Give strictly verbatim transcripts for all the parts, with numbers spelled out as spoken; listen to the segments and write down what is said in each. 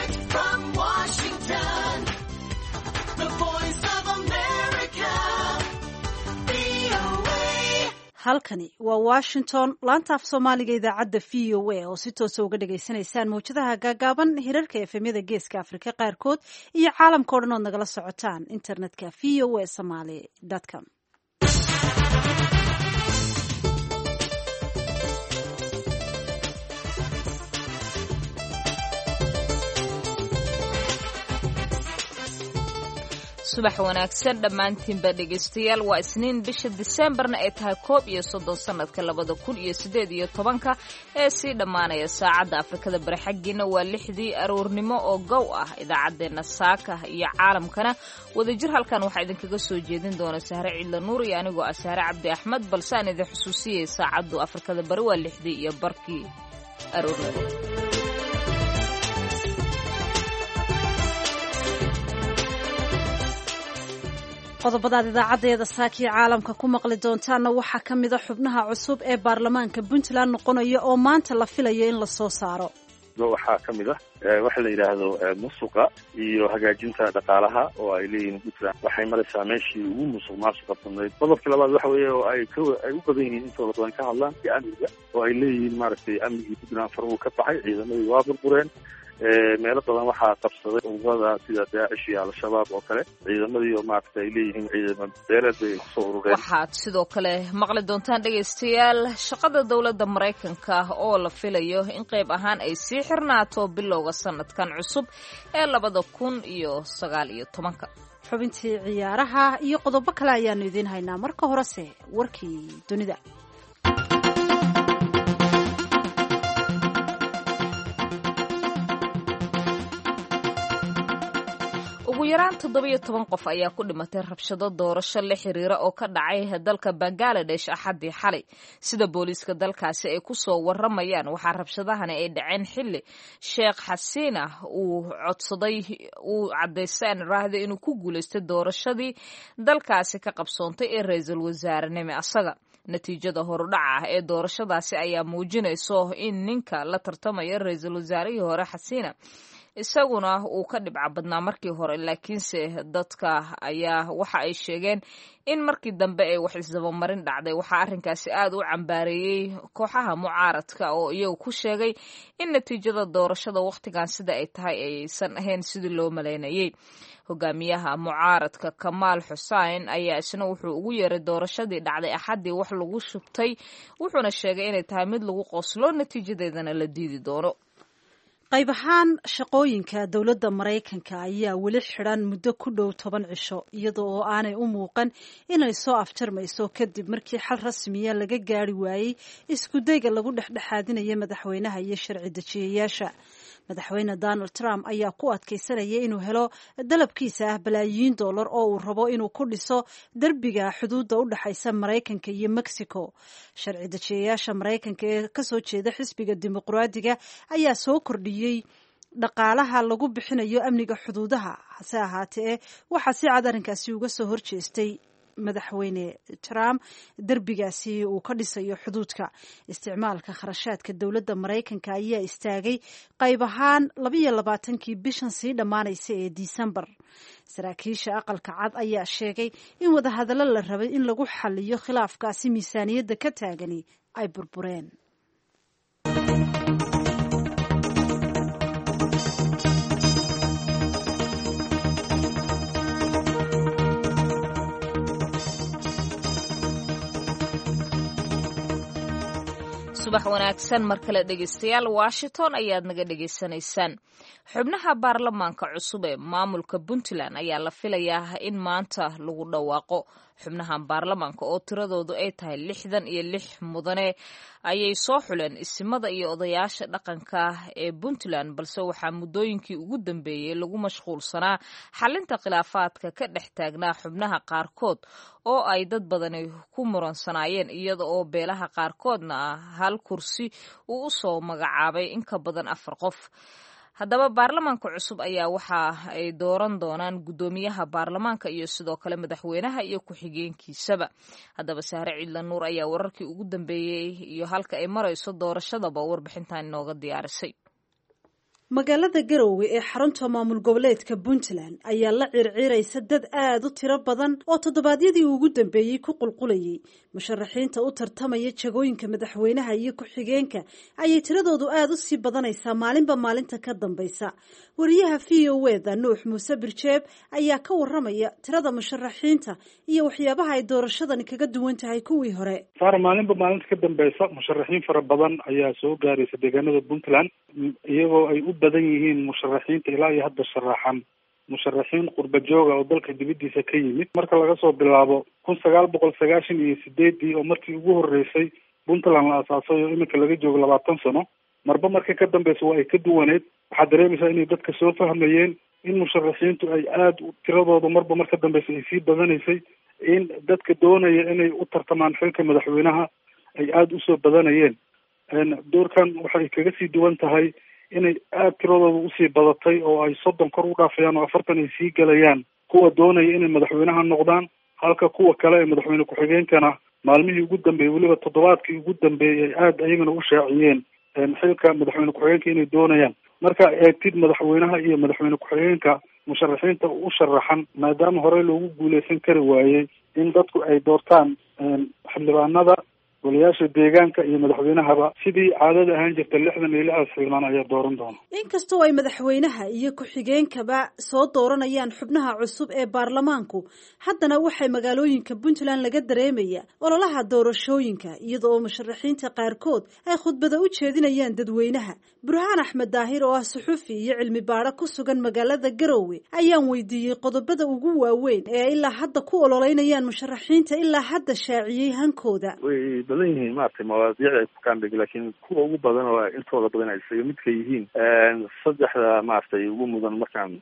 Direct from Washington, the voice of America, V O A. Halkani waa Washington, laanta af Soomaaliga idaacadda V O A oo si toosa uga dhagaysanaysaan mawjadaha gaagaaban, hirarka F M-yada Geeska Afrika qaarkood iyo caalamka o dhan ood nagala socotaan internetka V O A Somaly com. Subax wanaagsan dhammaantiinba dhegaystayaal. Waa Isniin, bisha Diseembarna ay tahay koob iyo soddon sanadka labada kun iyo sideed iyo tobanka ee sii dhammaanaya. Saacadda Afrikada Bari xaggiina waa lixdii aroornimo oo gow ah. Idaacaddeenna saaka iyo caalamkana wadajir halkan waxaa idinkaga soo jeedin doona Sahre Ciidla Nuur iyo anigoo ah Sahre Cabdi Axmed. Balse aan idin xusuusiyey, saacaddu Afrikada Bari waa lixdii iyo barkii aroornimo. Qodobadaad idaacaddeeda saakii caalamka ku maqli doontaanna waxaa ka mida xubnaha cusub ee baarlamaanka Puntland noqonaya oo maanta la filayo in lasoo saaro. Waxaa ka mid ah waxa la yidhaahdo musuqa iyo hagaajinta dhaqaalaha oo ay leeyihiin Puntland waxay maraysaa meeshii ugu musuq maasuqa badnayd. Qodobka labaad waxa weeye oo ay ka ay u badan yihiin intooda badan ka hadlaan iyo amniga, oo ay leeyihiin maaragtay amnigii Puntland far uu ka baxay, ciidamadii waa burbureen, meelo badan waxaa qabsaday ururada sida Daacish iyo Al-Shabaab oo kale, ciidamadii oo maaragtay ay leeyihiin ciidamo beeleed bay kusoo urureen. Waxaad sidoo kale maqli doontaan, dhegaystayaal, shaqada dowladda Maraykanka oo la filayo in qayb ahaan ay sii xirnaato bilowga sanadkan cusub ee labada kun iyo sagaal iyo tobanka. Xubintii ciyaaraha iyo qodobo kale ayaanu idiin haynaa. Marka horese warkii dunida. Ugu yaraan toddobiyo toban qof ayaa ku dhimatay rabshado doorasho la xiriira oo ka dhacay dalka Bangaladesh Axaddii xalay, sida booliiska dalkaasi ay ku soo waramayaan. Waxaa rabshadahani ay dhaceen xilli Sheekh Xasiina uu codsaday, uu caddaystay aan raahda inuu ku guulaystay doorashadii dalkaasi ka qabsoontay ee ra-iisul wasaarenimo asaga. Natiijada horudhaca ah ee doorashadaasi ayaa muujinayso in ninka la tartamaya ra-iisul wasaarihii hore Xasiina isaguna uu ka dhibca badnaa markii hore, laakiinse dadka ayaa waxa ay sheegeen in markii dambe ay wax isdabamarin dhacday. Waxaa arrinkaasi aad u cambaareeyey kooxaha mucaaradka oo iyagu ku sheegay in natiijada doorashada wakhtigan sida ay tahay aysan ahayn sidii loo malaynayay. Hogaamiyaha mucaaradka Kamaal Xuseen ayaa isna wuxuu ugu yeeray doorashadii dhacday Axaddii wax lagu shubtay, wuxuuna sheegay inay tahay mid lagu qoslo, natiijadeedana la diidi doono. Qayb ahaan shaqooyinka dowladda Maraykanka ayaa weli xidhan muddo ku dhow toban cisho, iyada oo aanay u muuqan inay soo afjarmayso, kadib markii xal rasmiya laga gaari waayey iskudayga lagu dhexdhexaadinaya madaxweynaha iyo sharci dejiyayaasha. Madaxweyne Donald Trump ayaa ku adkaysanaya inuu helo dalabkiisa ah balaayiin dollar oo uu rabo inuu ku dhiso derbiga xuduudda u dhexaysa Maraykanka iyo Mexico. Sharci dejiyayaasha Maraykanka ee kasoo jeeda xisbiga Dimuqraadiga ayaa soo kordhiyey dhaqaalaha lagu bixinayo amniga xuduudaha. Hase ahaatee, waxaa si cad arrinkaasi uga soo horjeestay madaxweyne Trump derbigaasi uu ka dhisayo xuduudka. Isticmaalka kharashaadka dowladda Maraykanka ayaa istaagay qayb ahaan labiyo labaatankii bishan sii dhammaanaysa ee Disembar. Saraakiisha Aqalka Cad ayaa sheegay in wadahadallo la rabay in lagu xaliyo khilaafkaasi miisaaniyadda ka taagani ay burbureen. Subax wanaagsan mar kale, dhegaystayaal. Washington ayaad naga dhegaysanaysaan. Xubnaha baarlamaanka cusub ee maamulka Puntland ayaa la filayaa in maanta lagu dhawaaqo. Xubnahan baarlamaanka oo tiradoodu ay tahay lixdan iyo lix mudane ayay soo xuleen isimada iyo odayaasha dhaqanka ee Puntland, balse waxaa muddooyinkii ugu dambeeyey lagu mashquulsanaa xalinta khilaafaadka ka dhex taagnaa xubnaha qaarkood oo ay dad badani ku muransanaayeen, iyada oo beelaha qaarkoodna hal kursi uu u soo magacaabay in ka badan afar qof. Haddaba baarlamaanka cusub ayaa waxa ay dooran doonaan guddoomiyaha baarlamaanka iyo sidoo kale madaxweynaha iyo ku-xigeenkiisaba. Haddaba Sahre Ciidla Nuur ayaa wararkii ugu dambeeyey iyo halka ay marayso doorashadaba warbixintan inooga diyaarisay. Magaalada Garowe ee xarunta maamul goboleedka Puntland ayaa la circiraysa dad aad u tiro badan oo toddobaadyadii ugu dambeeyey ku qulqulayay. Musharaxiinta u tartamaya jagooyinka madaxweynaha iyo ku-xigeenka ayay tiradoodu aad u sii badanaysaa maalinba maalinta ka dambaysa. Wariyaha V O E-da Nuux Muuse Birjeeb ayaa ka waramaya tirada musharaxiinta iyo waxyaabaha ay doorashadani kaga duwan tahay kuwii hore. Saar, maalinba maalinta ka dambaysa musharaxiin fara badan ayaa soo gaaraysa deegaanada Puntland, iyagoo ay u badan yihiin musharaxiinta ilaa iyo hadda sharaxan musharaxiin qurba jooga oo dalka dibadiisa ka yimid. Marka laga soo bilaabo kun sagaal boqol sagaashan iyo sideedii oo markii ugu horeysay Puntland la asaasay oo iminka laga joogo labaatan sano, marba marka ka dambeysa waa ay ka duwaneyd. Waxaad dareemaysaa inay dadka soo fahmayeen in musharaxiintu ay aada tiradooda marba marka dambeysa ay sii badanaysay, in dadka doonaya inay u tartamaan xilka madaxweynaha ay aada usoo badanayeen. Doorkan waxay kaga sii duwan tahay inay aada tiradooda usii badatay oo ay soddon kor u dhaafayaan oo afartan ay sii galayaan kuwa doonaya inay madaxweynaha noqdaan, halka kuwa kale ee madaxweyne ku-xigeenkana maalmihii ugu dambeeyey, weliba toddobaadkii ugu dambeeyey, ay aada ayagana u shaaciyeen xilka madaxweyne ku-xigeenka inay doonayaan. Marka eegtid madaxweynaha iyo madaxweyne ku-xigeenka musharaxiinta u sharaxan, maadaama horey loogu guuleysan kari waayey in dadku ay doortaan xildhibaanada, golayaasha deegaanka iyo madaxweynahaba, sidii caadada ahaan jirta lixdan iyo lixdaas xildhibaan ayaa dooran doona. Inkastoo ay madaxweynaha iyo ku-xigeenkaba soo dooranayaan xubnaha cusub ee baarlamaanku, haddana waxay magaalooyinka Puntland laga dareemaya ololaha doorashooyinka, iyada oo musharaxiinta qaarkood ay khudbada u jeedinayaan dadweynaha. Burhaan Axmed Daahir oo ah suxufi iyo cilmi baadho ku sugan magaalada Garowe ayaan weydiiyey qodobada ugu waaweyn ee ay ilaa hadda ku ololeynayaan musharaxiinta ilaa hadda shaaciyey hankooda. Way badan yihiin maaragtay mawaadiicda ay ku kaandhig, laakiin kuwa ugu badan oo intooda badan ay isaga midka yihiin saddexda maaragtay ugu mudan markaan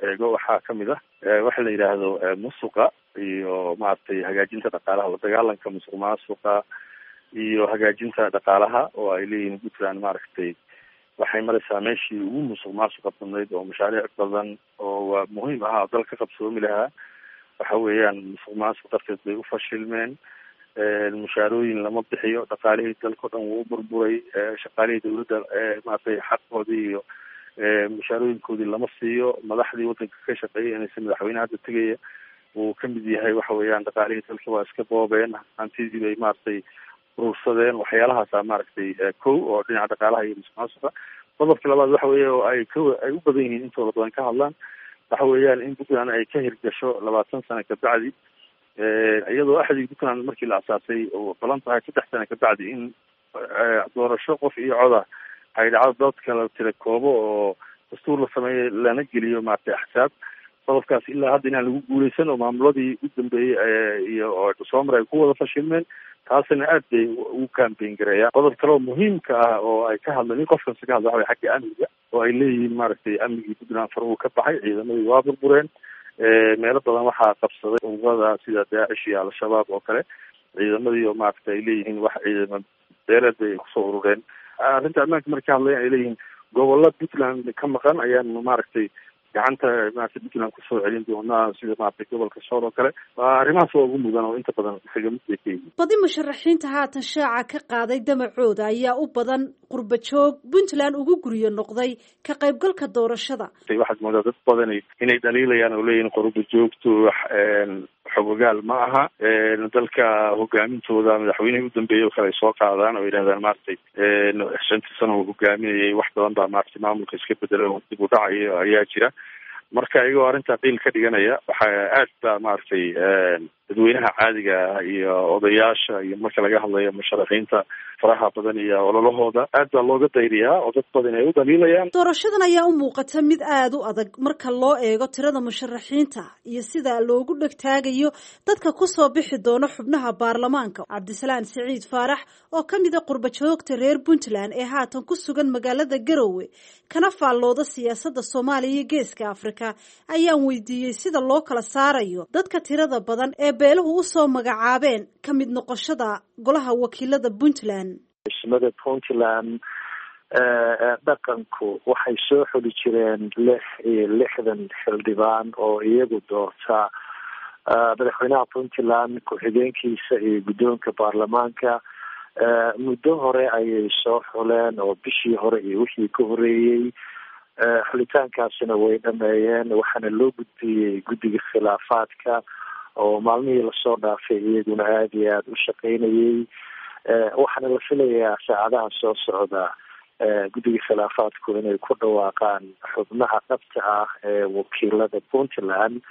eego waxaa kamid ah waxa la yidhaahdo musuqa iyo maaragtay hagaajinta dhaqaalaha, la dagaalanka musuq maasuqa iyo hagaajinta dhaqaalaha oo ay leeyihiin Puntland maaragtay waxay maraysaa meeshii ugu musuq maasuqa badnayd oo mashaariic badan oo waa muhiim ahaa oo dalka qabsoomi lahaa waxa weeyaan musuq maasuq darteed bay u fashilmeen. Mushaarooyin lama bixiyo, dhaqaalihii dalka o dhan wuu burburay, shaqaalihii dawladda maaragtay xaqoodii iyo mushaarooyinkoodii lama siiyo, madaxdii waddanka ka shaqeeyay inaysa madaxweyne hadda tegaya uu kamid yahay waxa weeyaan dhaqaalihii dalka waa iska boobeen, hantidii bay maaragtay urursadeen. Waxyaalahaasa maaragtay kow oo dhinaca dhaqaalaha iyo musuq maasuqa. Qodobka labaad waxa weeye oo ay ka ay u badan yihiin intooda badan ka hadlaan waxa weeyaan in Puntland ay ka hirgasho labaatan sano kabacdi, iyadoo axdii Puntland markii la asaasay oo balan tahay saddex sano kabacdi in doorasho qof iyo coda ay dhacdo, dadka la tira koobo oo dastuur la sameeyo lana geliyo maaragtay axsaab. Qodobkaas ilaa hadda inaan lagu guuleysan oo maamuladii u dambeeyey iyo oo soomar ay ku wada fashilmeen, taasina aad bay ugu campaign gareeyaan. Qodob kale oo muhiimka ah oo ay ka hadleen in qof kasta ka hadla waxa way xagga amniga, oo ay leeyihiin maaragtay amnigii Puntland far uu ka baxay, ciidamadii waa burbureen, meelo badan waxaa qabsaday ururada sida Daacish iyo Al-Shabaab oo kale, ciidamadii oo maaragtay ay leeyihiin wax ciidamo beeleed bay kusoo urureen. Arrinta ammaanka markay ka hadlayaan ay leeyihiin gobolla Puntland ka maqan ayaan maaragtay gacanta maaragtay Puntland kusoo celin doonaa, sida maaragtay gobolka Sool oo kale. Arrimahaas waa ugu mudan oo inta badan isaga mid bay ka yihiin. Badi musharaxiinta haatan shaaca ka qaaday damacooda ayaa u badan qurba joog Puntland ugu guryo noqday ka qaybgalka doorashada. Waxaad moodaa dad badan inay dhaliilayaan oo leeyihin qurba joogtu xogogaal ma aha dalka hogaamintooda. Madaxweynihii u dambeeyey oo kale ay soo qaadaan oo yidhahdaan maaragtay shantii sano uu hogaaminayay wax badan baa maaragtay maamulka iska bedelay oo dib u dhacayo ayaa jira. Marka iyagoo arrintaa qiil ka dhiganaya waxaa aad baa maaragtay dadweynaha caadiga ah iyo odayaasha iyo marka laga hadlayo musharaxiinta faraha badan iyo ololahooda aad baa looga dayriyaa oo dad badan ay u dhaliilayaan. Doorashadan ayaa u muuqata mid aada u adag marka loo eego tirada musharaxiinta iyo sida loogu dhegtaagayo dadka kusoo bixi doona xubnaha baarlamaanka. Cabdisalaan Siciid Faarax oo ka mid a qurba joogta reer Puntland ee haatan ku sugan magaalada Garowe kana faallooda siyaasadda Soomaaliya iyo Geeska Afrika ayaan weydiiyey sida loo kala saarayo dadka tirada badan ee beeluhu usoo magacaabeen ka mid noqoshada golaha wakiilada Puntland. Ismada Puntland dhaqanku waxay soo xuli jireen lix iyo lixdan xildhibaan oo iyagu doorta madaxweynaha Puntland, ku-xigeenkiisa iyo guddoonka baarlamaanka. Muddo hore ayay soo xuleen oo bishii hore iyo wixii ka horeeyey. Xulitaankaasina way dhameeyeen, waxaana loo gudbiyey guddiga khilaafaadka oo maalmihii lasoo dhaafay iyaguna aada iyo aada u shaqeynayey. Waxaana la filayaa saacadaha soo socda guddiga khilaafaadku inay ku dhawaaqaan xubnaha dhabta ah ee wakiilada Puntland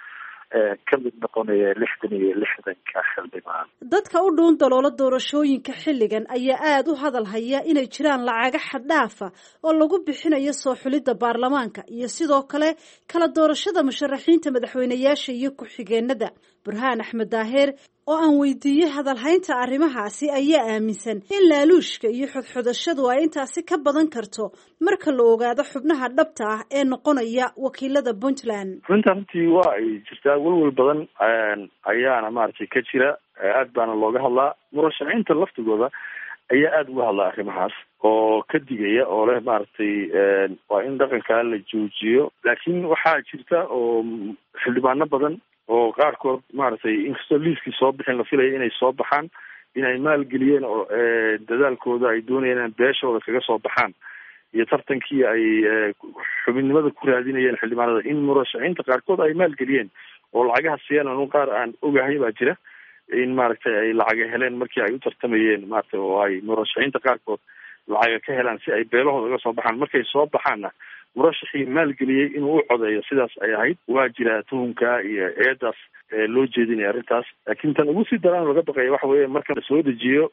ka mid noqonaya lixdan iyo lixdanka xildhibaan. Dadka u dhuun daloola doorashooyinka xilligan ayaa aada u hadal haya inay jiraan lacaga xaddhaafa oo lagu bixinayo soo xulidda baarlamaanka iyo sidoo kale kala doorashada musharaxiinta madaxweyneyaasha iyo ku-xigeenada. Burhaan Axmed Daaheer oo aan weydiiyey hadalhaynta arrimahaasi ayaa aaminsan in laaluushka iyo xodxodashadu ay intaasi ka badan karto marka la ogaado xubnaha dhabta ah ee noqonaya wakiilada Puntland. Runta runtii waa ay jirtaa, welwel badan ayaana maaragtay ka jira, aad baana looga hadlaa. Murashaxiinta laftigooda ayaa aada uga hadlaa arrimahaas oo ka digaya oo leh maaragtay waa in dhaqankaa la joojiyo. Laakiin waxaa jirta oo xildhibaano badan oo qaarkood maaragtay inkastoo liiskii soo bixin la filaya inay soo baxaan, inay maalgeliyeen oo dadaalkooda ay doonayeen in beeshooda kaga soo baxaan iyo tartankii ay xubinnimada ku raadinayeen xildhibaanada, in murashaxiinta qaarkood ay maalgeliyeen oo lacagaha siiyeen. Anu qaar aan ogahay baa jira in maaragtay ay lacaga heleen markii ay u tartamayeen maaragtay, oo ay murashaxiinta qaarkood lacaga ka helaan si ay beelahooda uga soo baxaan. Markay soo baxaanna murashaxii maalgeliyey inuu u codeeyo, sidaas ay ahayd. Waa jiraa tuhunka iyo eedaas loo jeedinaya arrintaas. Laakiin tan ugu sii daraan laga baqaya waxa weeye marka la soo dejiyo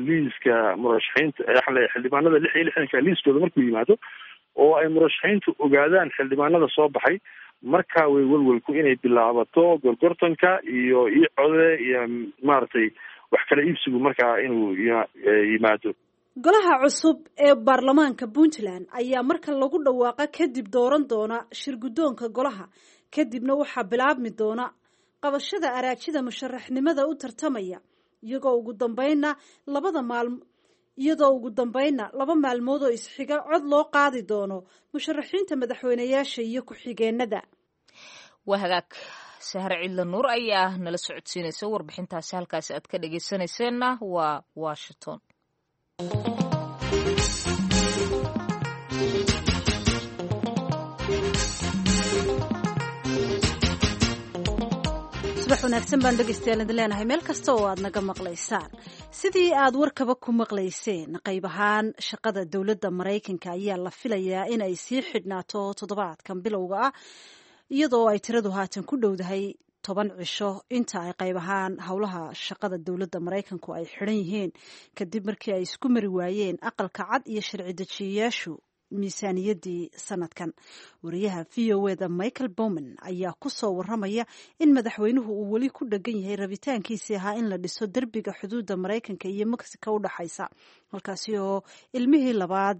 liiska murashaxiinta, waxaan leeyahay xildhibaanada lix iyo lixdanka liiskooda markuu yimaado oo ay murashaxiintu ogaadaan xildhibaanada soo baxay, markaa way welwelku inay bilaabato gorgortanka iyo io code iyo maaragtay wax kala iibsigu markaa inuu yimaado. Golaha cusub ee baarlamaanka Puntland ayaa marka lagu dhawaaqa kadib dooran doona shir guddoonka golaha, kadibna waxaa bilaabmi doona qabashada araajida musharaxnimada u tartamaya, iyagoo ugu dambeynna labada maalmo iyadoo ugu dambeynna laba maalmood oo isxiga cod loo qaadi doono musharaxiinta madaxweyneyaasha iyo ku-xigeenada. Waa hagaag, Sahre Cidla Nuur ayaa nala socodsiinaysa warbixintaasi. Halkaasi aad ka dhageysanayseena waa Washington. Subax wanaagsan baan dhegeystayaal idin leenahay meel kasta oo aad naga maqlaysaan. Sidii aad warkaba ku maqlayseen, qayb ahaan shaqada dowladda Maraykanka ayaa la filayaa in ay sii xidhnaato toddobaadkan bilowga ah, iyadoo ay tiradu haatan ku dhowdahay toban cisho inta ay qayb ahaan howlaha shaqada dowladda Maraykanku ay xidhan yihiin, kadib markii ay isku mari waayeen Aqalka Cad iyo sharci dejiyayaashu miisaaniyaddii sanadkan. Wariyaha V O E da Michael Bowman ayaa ku soo waramaya in madaxweynuhu uu weli ku dhegan yahay rabitaankiisii ahaa in la dhiso derbiga xuduudda Maraykanka iyo Mexico u dhexaysa, halkaasi oo ilmihii labaad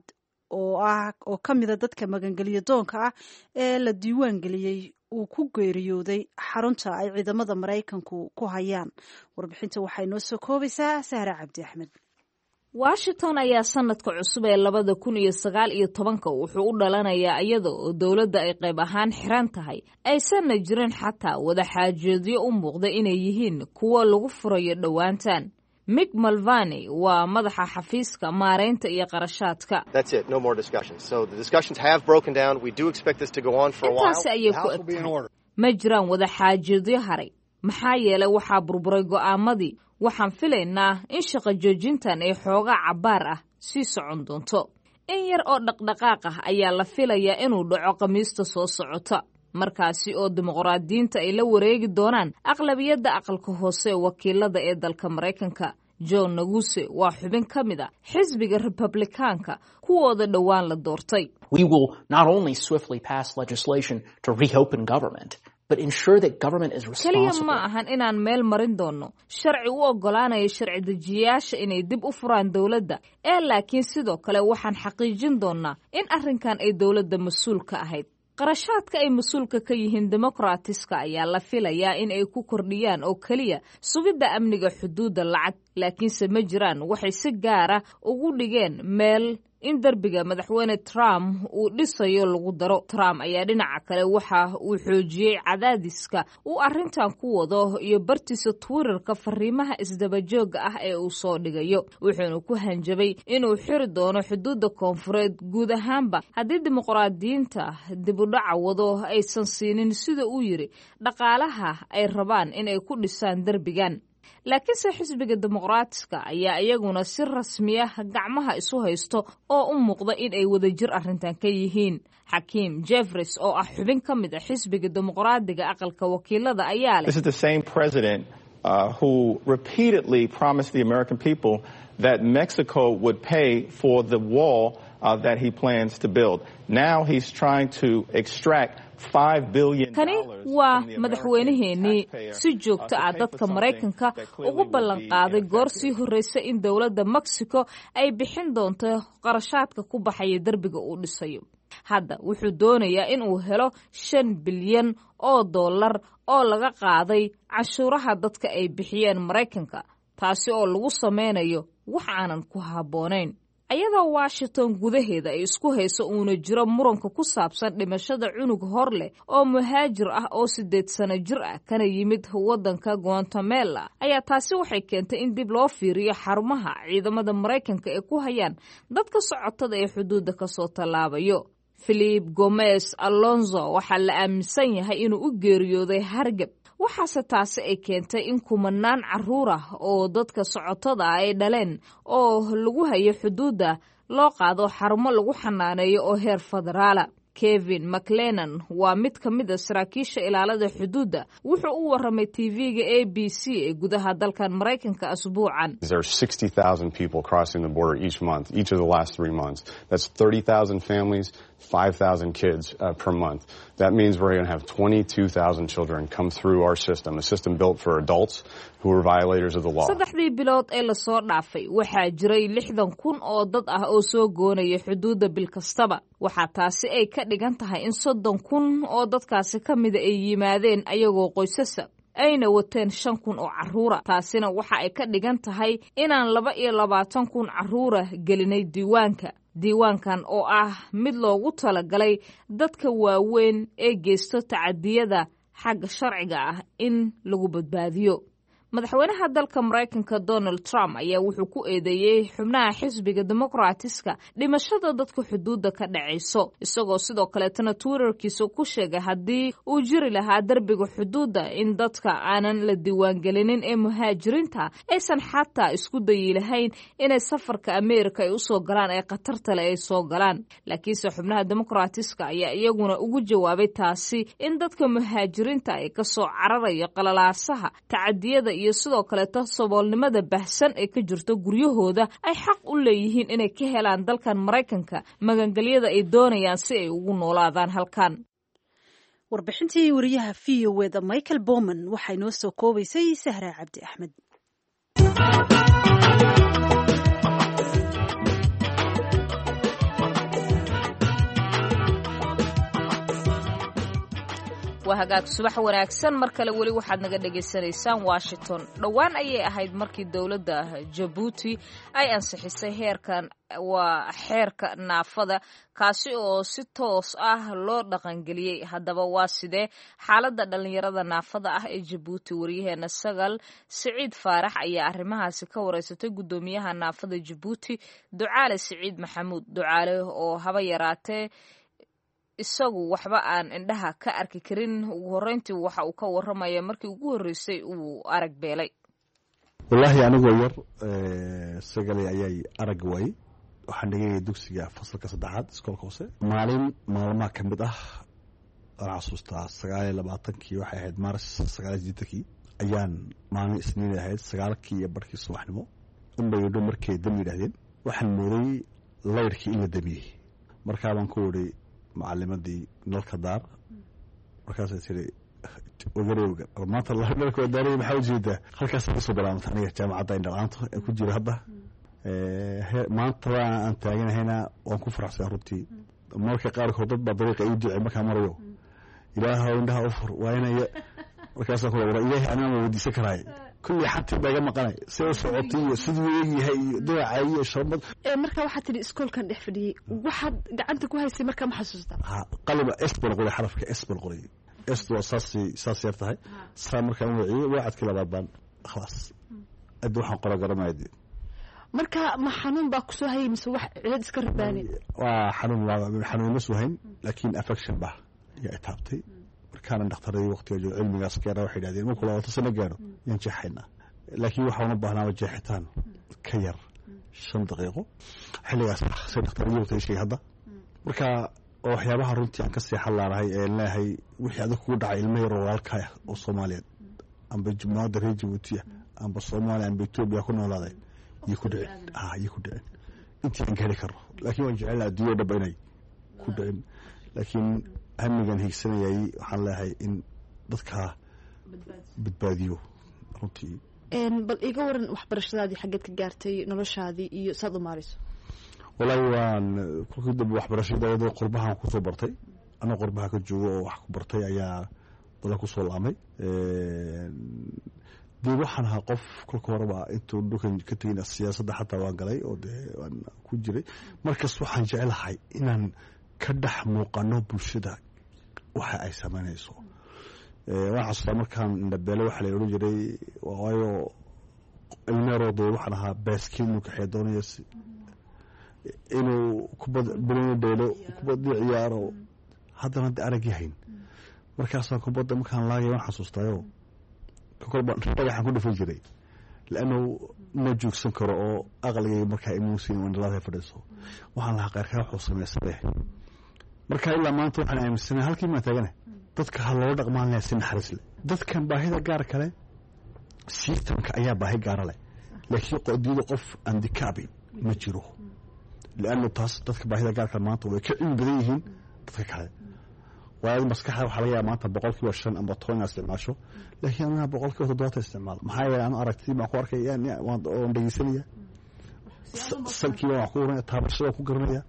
oo ah oo ka mida dadka magangeliyo doonka ah ee la diiwaan geliyey uu ku geeriyooday xarunta ay ciidamada Maraykanku ku hayaan. Warbixinta waxay noo soo koobaysaa Sahra Cabdi Axmed. Washington ayaa sanadka cusub ee labada kun iyo sagaal iyo tobanka wuxuu u dhalanayaa iyada oo dowladda ay qayb ahaan xiran tahay, aysanna jirin xataa wada xaajoodyo u muuqda inay yihiin kuwo lagu furayo dhowaantan. Mick Mulvaney waa madaxa xafiiska maareynta iyo qarashaadka. Intaasi ayay ku eg tahay, ma jiraan wada xaajoodyo haray, maxaa yeelay waxaa burburay go'aamadii. Waxaan filaynaa in shaqo joojintan ay xoogaa cabbaar ah sii socon doonto. In yar oo dhaqdhaqaaq ah ayaa la filayaa inuu dhaco Khamiista soo socota, markaasi oo dimuqraadiyiinta ay la wareegi doonaan aqlabiyadda aqalka hoose ee wakiilada ee dalka Maraykanka. John Naguse waa xubin ka mid a xisbiga Republikaanka kuwooda dhowaan la doortay. We will not only swiftly pass legislation to reopen government, but ensure that government is Keliya responsible. ma ahan inaan meel marin doonno sharci u oggolaanaya sharci dejiyayaasha inay dib u furaan dowladda, ee laakiin sidoo kale waxaan xaqiijin doonnaa in arrinkan ay dowladda mas-uul ka ahayd. Qarashaadka ay mas-uulka ka yihiin Demokratiska ayaa la filayaa in ay ku kordhiyaan oo keliya sugidda amniga xuduudda lacag, laakiinse ma jiraan waxay si gaara ugu dhigeen meel in derbiga madaxweyne Trump uu dhisayo lagu daro. Trump ayaa dhinaca kale waxa uu xoojiyey cadaadiska uu arrintan ku wado iyo bartiisa Twitterka fariimaha isdabajooga ah ee uu soo dhigayo, wuxuuna ku hanjabay inuu xiri doono xuduudda koonfureed guud ahaanba haddii dimuqraadiyiinta dibudhaca wado aysan siinin, sida uu yiri, dhaqaalaha ay rabaan inay ku dhisaan derbigan. Laakiinse xisbiga Dimuqraatiska ayaa iyaguna si rasmiya gacmaha isu haysto oo u muuqda in ay wadajir arrintan ka yihiin. Xakiim Jeffries oo ah xubin ka mid a xisbiga Dimuqraadiga aqalka wakiilada ayaa leh: This is the same president uh, who repeatedly promised the American people that Mexico would pay for the wall uh, that he plans to build. Now he's trying to extract Kani waa madaxweynaheennii si joogto ah dadka Maraykanka ugu ballanqaaday goor sii horreysa in dowladda Mexico ay bixin doonto qarashaadka ku baxaya derbiga uu dhisayo. Hadda wuxuu doonayaa in uu helo shan bilyan oo dollar oo laga qaaday canshuuraha dadka ay bixiyeen Maraykanka, taasi oo lagu sameynayo wax aanan ku habboonayn. Ayadoo Washington gudaheeda ay isku hayso uuna jiro muranka ku saabsan dhimashada cunug hor leh oo muhaajir ah oo sideed sano jir ah kana yimid waddanka Guatemala, ayaa taasi waxay keentay in dib loo fiiriyo xarumaha ciidamada Maraykanka ee ku hayaan dadka socotada ee xuduudda kasoo tallaabayo. Philip Gomez Alonzo waxaa la aaminsan yahay inuu u geeriyooday hargab, waxaase taasi ay keentay in kumanaan caruur ah oo dadka socotada ah ay dhaleen oo lagu hayo xuduudda loo qaado xarumo lagu xanaaneeyo oo heer federaala. Kevin McLennan waa mid ka mid a saraakiisha ilaalada xuduudda. Wuxuu u waramay T V-ga A B C ee gudaha dalkan Maraykanka asbuucan. There are sixty thousand people crossing the border each month, each of the last three months. That's thirty thousand families, five thousand kids uh, per month. That means we're going to have twenty-two thousand children come through our system, a system built for adults who are violators of the law. Saddexdii bilood ee lasoo dhaafay waxaa jiray lixdan kun oo dad ah oo soo goonaya xuduudda bil kastaba. Waxaa taasi ay ka dhigan tahay in soddon kun oo dadkaasi ka mida ay yimaadeen ayagoo qoysasa ayna wateen shan kun oo carruura. Taasina waxa ay ka dhigan tahay inaan laba iyo labaatan kun carruura gelinay diiwaanka, diiwaankan oo ah mid loogu talagalay dadka waaweyn ee geysto tacadiyada xagga sharciga ah in lagu badbaadiyo. Madaxweynaha dalka Maraykanka Donald Trump ayaa wuxuu ku eedeeyey xubnaha xisbiga Dimuqraatiska dhimashada dadka xuduudda ka dhacayso, isagoo sidoo kaleetana Twitterkiisa ku sheegay haddii uu jiri lahaa derbiga xuduudda in dadka aanan la diiwaangelinin ee muhaajiriinta aysan xataa isku dayi lahayn inay safarka Ameerika ay usoo galaan ee khatarta leh ay soo galaan. Laakiinse xubnaha Dimuqraatiska ayaa iyaguna ugu jawaabay taasi in dadka muhaajiriinta ay kasoo cararayo qalalaasaha, tacadiyada iyo sidoo kaleeto saboolnimada baahsan ee ka jirto guryahooda ay xaq u leeyihiin inay ka helaan dalkan Maraykanka magangelyada ay doonayaan si ay ugu noolaadaan halkan. Warbixintii wariyaha V O eda Michael Bowman waxaa inoo soo koobaysay Sahra Cabdi Axmed. Waa hagaag, subax wanaagsan mar kale. Weli waxaad naga dhagaysanaysaan Washington. Dhowaan ayay ahayd markii dowladda Jabuuti ay ansixisay heerkan, waa xeerka naafada, kaasi oo si toos ah loo dhaqangeliyey. Haddaba waa sidee xaaladda dhallinyarada naafada ah ee Jabuuti? Wariyaheena Sagal Siciid Faarax ayaa arrimahaasi ka wareysatay guddoomiyaha naafada Jabuuti, Ducaale Siciid Maxamuud Ducaale, oo haba yaraatee isagu waxba aan indhaha ka arki karin. Ugu horreyntii waxa uu ka waramaya markii ugu horreysay uu arag beelay. Wallaahi anigoo yar, sagalay, ayay arag waayey. Waxaan dhigayay dugsiga fasalka saddexaad, iskoolka hoose. Maalin maalmaha ka mid ah, waan xasuustaa, sagaal iyo labaatankii waxay ahayd Maaris sagaal iyo sideetankii ayaan, maalin Isniinay ahayd, sagaalkii iyo barhkii subaxnimo unbay dho markay dam yidhahdeen. Waxaan mooday layrkii in la damiyey. Markaa baan ku idhi macalimadii, "Nalka daar." Markaasay tiri, "Ogarowga maanta nalka waa daaray, maxaa ujeedaa?" Halkaas kasoo bilaabantay aniga jaamacadda indhala-aanta ee ku jira hadda. Maanta aan taaganahayna waan ku faraxsan runtii. Marka qaarkood dad baa dariiqa ii ducey markaan marayo, "Ilaahow indhaha u fur," waa inay markaasaan ku wara Ilaahay anaa ma weydiisan karaay. Kulli xatii baa iga maqanay, si u socotay iyo siduu eegyahay iyo dooca iyo sharmad. Marka waxaad tidhi iskoolkan dhex fadhiyey, waxaad gacanta ku haysay markaa ma xasuustaa? Ha, qalima S baan qoray, xarafka S baan qoray. S waa saas, saas yar tahay. Saa markaan waciyey, wacadkii labaad baan khalaas adda waxaan qora garanaya dee. Marka ma xanuun baa kusoo hayay mise wax cilad iska rabaani? Waa xanuun, xanuun ma soo hayn, laakiin affection baa yaa itaabtay. Markaana dhakhtaradii waqtiga joogo cilmigaas gaara waxay yidhahdeen markuu labaatan sano gaaro yaan jeexaynaa, laakiin waxaan u baahnaaba jeexitaan ka yar shan daqiiqo xilligaas, say dhakhtaradii waqtiga sheegay hadda. Marka oo waxyaabaha runtii aan ka seexan laanahay ee leeyahay, wixii adag kugu dhacay ilmo yar oo walaalkaa oo Soomaaliyeed amba jumhuriyadda reer Jabuuti ah amba Soomaaliya amba Etoobiya ku noolaaday iyo ku dhicin, ah iyo ku dhicin intii aan gaari karno. Laakiin waan jecel lahaa adduunya dhaba inay ku dhicin, laakiin hamigan hiigsanayay waxaan leeyahay in dadka badbaadiyo runtii. Bal iga waran waxbarashadaadii, xaggeed ka gaartay, noloshaadii iyo saad u maarayso? Wallaahi waan kolkii dambe waxbarashada iyadoo qurbahan kusoo bartay, anoo qurbaha ka joogo oo wax ku bartay ayaa dala kusoo laamay. Dee waxaan ahaa qof kolka horeba intuu dhulkan ka tegin siyaasadda xataa waan galay oo dee waan ku jiray. Markas waxaan jecelahay inaan ka dhex muuqano bulshada waxa ay samaynayso. Waan xasuustaa markaan indhabeele waxaa la odhan jiray, waayo ilmeeroo dee waxaan ahaa baaskiil inuu kaxee doonayo, inuu kubad banooni dheelo, kubadii ciyaaro, haddana de aragii hayn. Markaasaan kubadda markaan laagay waan xasuustaayo kolba dhagaxaan ku dhufan jiray, laannu ma joogsan karo oo aqligayga markaa imuusin indhalaada fadhiiso. Waxaan lahaa qayrkaa wuxuu samaysade. Marka ilaa maanta waxaan aaminsanahay halkii maan taagana dadka ha loola dhaqmaan lahaa si naxariis leh. Dadkan baahida gaar kale systemka ayaa baahi gaara leh, laakiin qodiyada qof andikaabi ma jiro, laannu taas dadka baahida gaar kale maanta way ka cilmi badan yihiin dadka kale. Waayo maskaxda waxaa laga yaaba maanta boqolkiiba shan amba toban inaad isticmaasho, laakiin anaga boqolkiiba toddobaatan isticmaalo. Maxaa yeelay anu aragtidii baan ku arkaya, waan dhegeysanaya, salkii baan wax ku oranaya, taabashada ku garanaya,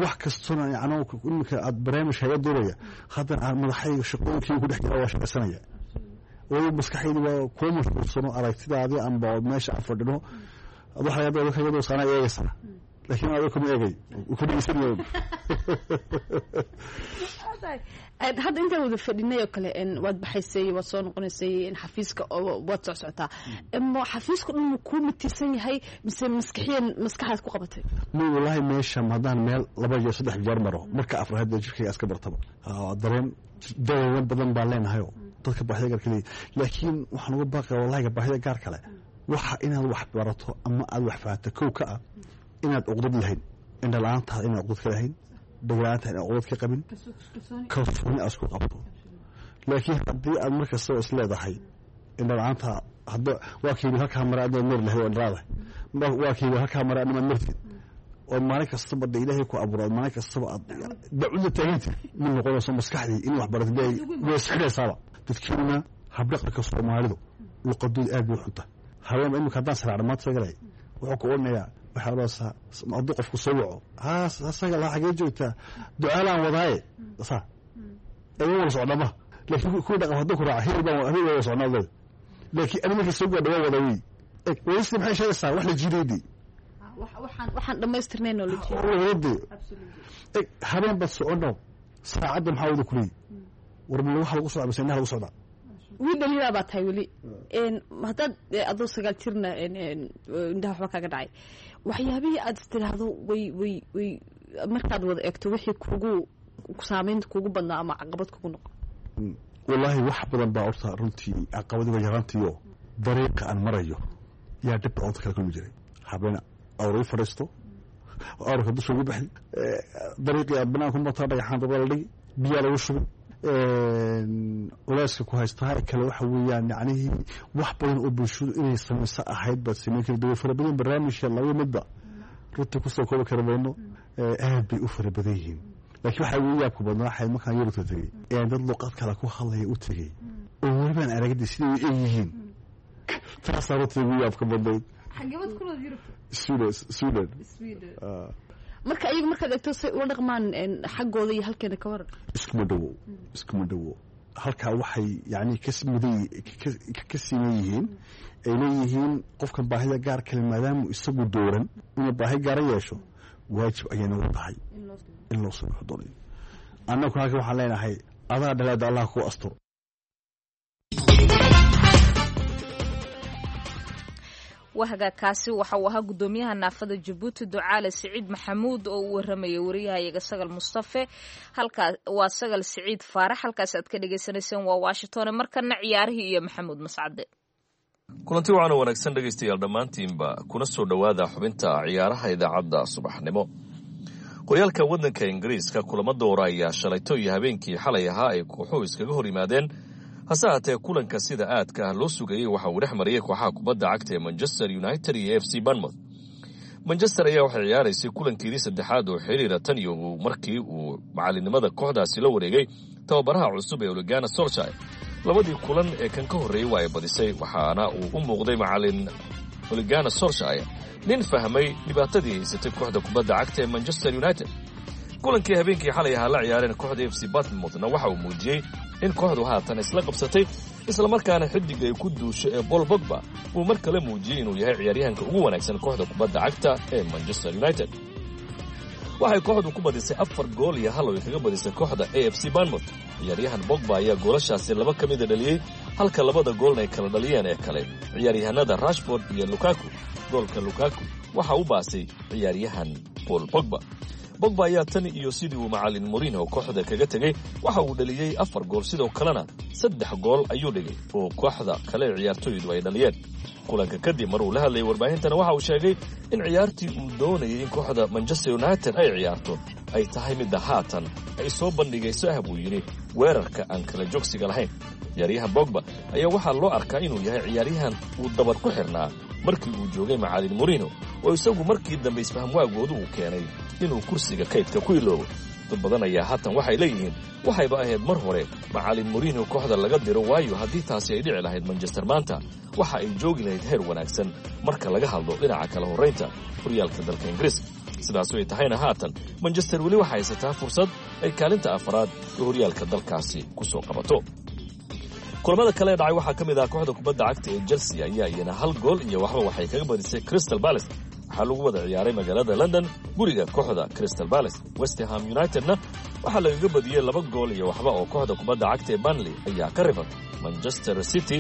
wax kastona. Yacni iminka aad barnaamij haga duubaya, haddana aan madaxayga shaqooyinkii ku dhex jira waa shaqaysanaya, waayo maskaxaydu waa kuwa mashquulsano. Aragtidaadii amba meesha aan fadhino ad waxa laga yaaba kaga duusaana eegaysaa, laakiin adiga kuma eegay, ku dhegeysanaya. Hadda intaan wada fadhinay oo kale waad baxaysay, waad soo noqonaysay, xafiiska waad soc socotaa. Xafiiska dhan ma kuu matiirsan yahay mise maskaxiyan maskaxaad ku qabatay? Ma wallaahi meesha haddaan meel laba jeer saddex jeer maro, marka afraad hadda jirkayga iska bartaba. Dareen dareen badan baan leenahayo dadka baahida gaarka leeyahy, laakiin waxaan uga baaqaya wallahiga baahida gaar kale waxa inaad wax barato ama aad wax fahanto kow ka ah inaad uqdad lahayn, indha la-aantaada inaad uqdad ka lahayn, dhagla-aantaada inaad uqdad ka qabin, kalsooni aad isku qabto. Laakiin haddii aad mar kastaba is leedahay indha la-aanta hadda waa kaybi halkaa mare adnaad mari lahayd oo indhalaada waa kaybi halkaa mare adnamaad martid oo maalin kastaba de ilaahay ku abuuro, maalin kastaba aad dacuda taaganta ma noqonayso maskaxdii in wax barato way isxidhaysaaba. Dadkiina habdhaqanka Soomaalidu luqadooda aad bay u xunta. Haween imika haddaan saraacno maanta sagalay wuxuu ku odhanayaa, waxaa odhanaysaa hadduu qofku soo waco, haa sagal ha xagee joogtaa, ducaalaan wadaaye saa eega wada socnaa ma, laakiin kuwii dhaqan hadduu ku raaca hebel baan hebel wada socnaa leeda, laakiin ani markii soo gaadha waa wada wey. Wadista maxay sheegaysaa? Wax la jiidaydii waxaan dhamaystirnayn oo la jiiday. Habeen baad socono saacadda maxaa wada kuleeyi war ma waxa lagu socdaa mise indhaha lagu socdaa? Wiil dhalinyaraa baa tahay weli, haddaad adoo sagaal jirna indhaha waxba kaaga dhacay, waxyaabihii aad istiraahdo way way way markaad wada eegto wixii kugu saameynta kugu badnaa ama caqabad kugu noqon? Wallaahi wax badan baa horta runtii caqabadi waa yaraantiyo dariiqa aan marayo yaa dhib badan kala kulmi jiray. Habeen awr ii fadhiisto, awrka dusha ugu baxi, dariiqii aad banaanku martaa dhagaxaan dabada la dhigi, biyaa lagu shubi, culeyska ku haystaa kale waxa weeyaan yacnihii wax badan oo bulshadu inay samayso ahayd baad samayn kari way fara badan. Barnaamijka laba midba runtii kusoo koobi kari mayno, aad bay u fara badan yihiin. Laakiin waxaa ugu yaabka badnaa waxay markaan Yurubta tegey ee dad luqad kale ku hadlaya u tegey oo welibaan aragdi siday u eg yihiin, taasaa runtii ugu yaabka badnayd. Sweden, Sweden. Marka iyagu markaad eegto say ula dhaqmaan xaggooda iyo halkeena ka waran? Iskuma dhowo, iskuma dhowo. Halkaa waxay yani kasmuday ka siman yihiin, ay leeyihiin qofkan baahida gaar kale maadaamu isagu dooran inuu baahi gaara yeesho, waajib ayay nagu tahay in loo soo wuxuu doonayo. Annagu halkan waxaan leenahay adaa dhaleeda Allah kuu asturo. Wahagaakaasi waxa uu ahaa guddoomiyaha naafada Jabuuti Ducaale Siciid Maxamuud oo u waramayay wariyahayaga Sagal Mustafe. Halkaa waa Sagal Siciid Faarax, halkaas aad ka dhagaysanayseen waa Washington. Markana ciyaarihii iyo Maxamuud Mascade. Kulanti waxaana wanaagsan dhegaystayaal dhammaantiinba, kuna soo dhowaada xubinta ciyaaraha idaacadda subaxnimo. Horyaalka waddanka Ingiriiska kulamo doora ayaa shalayto iyo habeenkii xalay ahaa ay kooxuhu iskaga hor yimaadeen. Hase haatee kulanka sida aadka ah loo sugayey waxa uu dhex mariyey kooxaha kubadda cagta ee Manchester United iyo F C Bournemouth. Manchester ayaa waxay ciyaaraysay kulankeedii saddexaad oo xiriira tan iyo markii uu macalinimada kooxdaasi la wareegay tababaraha cusub ee Ole Gunnar Solskjaer. Labadii kulan ee kan ka horreeyey waa ay badisay, waxaana uu u muuqday macalin Ole Gunnar Solskjaer nin fahmay dhibaatadii haysatay kooxda kubadda cagta ee Manchester United. Kulankii habeenkii xalay ahaa la ciyaareen kooxda F C Bournemouthna waxa uu muujiyey in kooxdu haatan isla qabsatay, islamarkaana xidig ay ku duusho ee Paul Pogba uu mar kale muujiyey inuu yahay ciyaaryahanka ugu wanaagsan kooxda kubadda cagta ee Manchester United. Waxay kooxdu ku badisay afar gool iyo hal oo ay kaga badisay kooxda A F C Bournemouth. Ciyaaryahan Pogba ayaa goolashaasi laba ka mida dhaliyey, halka labada goolna ay kala dhaliyeen ee kale ciyaaryahanada Rashford iyo Lukaku. Goolka Lukaku waxa u baasay ciyaaryahan Paul Pogba. Pogba ayaa tan iyo sidii uu macalin Mourinho kooxda kaga tegey waxa uu dhaliyey afar gool, sidoo kalena saddex gool ayuu dhigay oo kooxda kale ciyaartoydu ay dhaliyeen. Kulanka kadib mar uu la hadlayay warbaahintana waxa uu sheegay in ciyaartii uu doonayay in kooxda Manchester United ay ciyaarto ay tahay midda haatan ay soo bandhigayso ah buu yidhi weerarka aan kala joogsiga lahayn. Ciyaaryahan Pogba ayaa waxaa loo arkaa inuu yahay ciyaaryahan uu dabar ku xirnaa markii uu joogay macalin Mourinho, oo isagu markii dambe isfahamwaagoodu uu keenay inuu kursiga kaydka ku iloobo. Dad badan ayaa haatan waxay leeyihiin waxayba ahayd mar hore macalin Mourinho kooxda laga diro, waayo haddii taasi ay dhici lahayd Manchester maanta waxa ay joogi lahayd heer wanaagsan marka laga hadlo dhinaca kala horraynta horyaalka dalka Ingiriiska. Sidaas ay tahayna haatan Manchester weli waxay haysataa fursad ay kaalinta afraad ee horyaalka dalkaasi ku soo qabato. Kulamada kale ee dhacay waxaa ka mid ah kooxda kubadda cagta ee Chelsea ayaa iyana hal gool iyo waxba waxay kaga badisay Crystal Palace. Waxaa lagu wada ciyaaray magaalada London guriga kooxda Crystal Palace. West Ham Unitedna waxaa lagaga badiyey laba gool iyo waxba oo kooxda kubadda cagta ee Burnley ayaa ka rifatay. Manchester City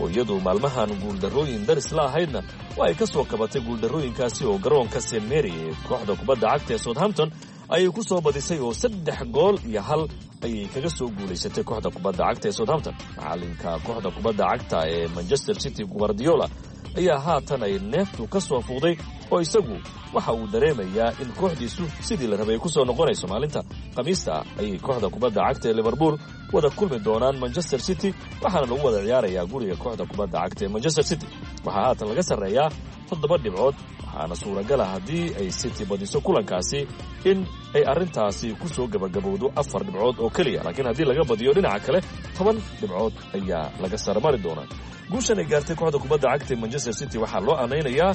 oo iyadu maalmahan guuldarrooyin daris la ahaydna waa ay ka soo kabatay guuldarrooyinkaasi oo garoonka Saint Mary ee kooxda kubadda cagta ee Southampton ayay ku soo badisay oo saddex gool iyo hal ayay kaga soo guulaysatay kooxda kubadda cagta ee Southampton. Macalinka kooxda kubadda cagta ee Manchester City Guardiola ayaa haatan ay neeftu ka soo fuuqday oo isagu waxa uu dareemayaa in kooxdiisu sidii la rabay ku soo noqonayso. Maalinta Khamiista ayay kooxda kubadda cagta ee Liverpool wada kulmi doonaan Manchester City, waxaana lagu wada ciyaarayaa guriga kooxda kubadda cagta ee Manchester City. Waxaa haatan laga sarreeyaa toddoba dhibcood, waxaana suuragala haddii ay City badiso kulankaasi in ay arrintaasi ku soo gabagabowdo afar dhibcood oo keliya, laakiin haddii laga badiyo dhinaca kale toban dhibcood ayaa laga sarmari doonaa. Guushan ay gaartay kooxda kubadda cagta ee Manchester City waxaa loo anaynayaa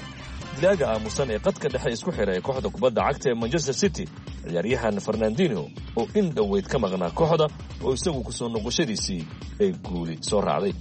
dilaaga aamusan ee qadka dhexe isku xira ee kooxda kubadda cagta ee Manchester City, ciyaaryahan Fernandinho oo in dhoweyd ka maqnaa kooxda oo isagu kusoo noqoshadiisii ay guuli soo raacday.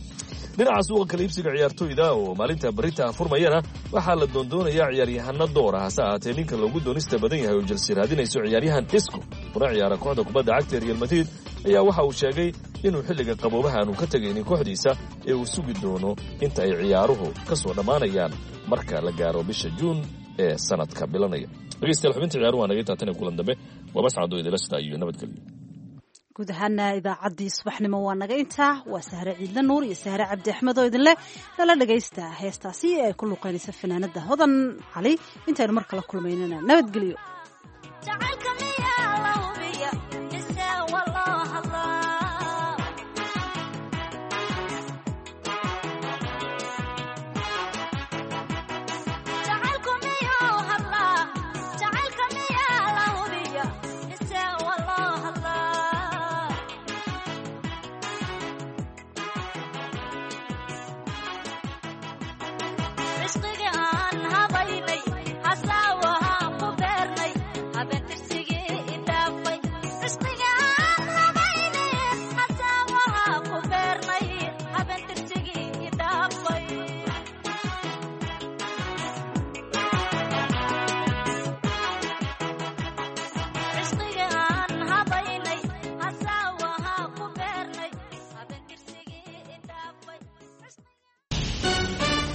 Dhinaca suuqa kala iibsiga ciyaartoyda oo maalinta berita furmayana waxaa la doondoonayaa ciyaaryahano door ah. Hase ahaatee ninka loogu doonista badan yahay oo Chelsea raadinayso ciyaaryahan Isco kuna ciyaara kooxda kubadda cagta ee Real Madrid ayaa waxa uu sheegay inuu xilliga qaboobaha aanu ka tegaynin kooxdiisa ee uu sugi doono inta ay ciyaaruhu ka soo dhammaanayaan marka la gaaro bisha Juun ee sanadka bilanaya. Dhegeystayaal, xubinta ciyaaruhu waa naga taatana kulan dambe. Waa Mascado idila sidaa iyo nabadgelyo. Guud ahaana idaacaddii subaxnimo waa naga intaa. Waa Sahre Ciidle Nuur iyo Sahre Cabdi Axmed oo idinleh nala dhagaysta heestaasi ee ay ku luqeynaysa fanaanada Hodan Cali. Intaynu mar kala kulmaynana nabadgelyo. Cishqiga.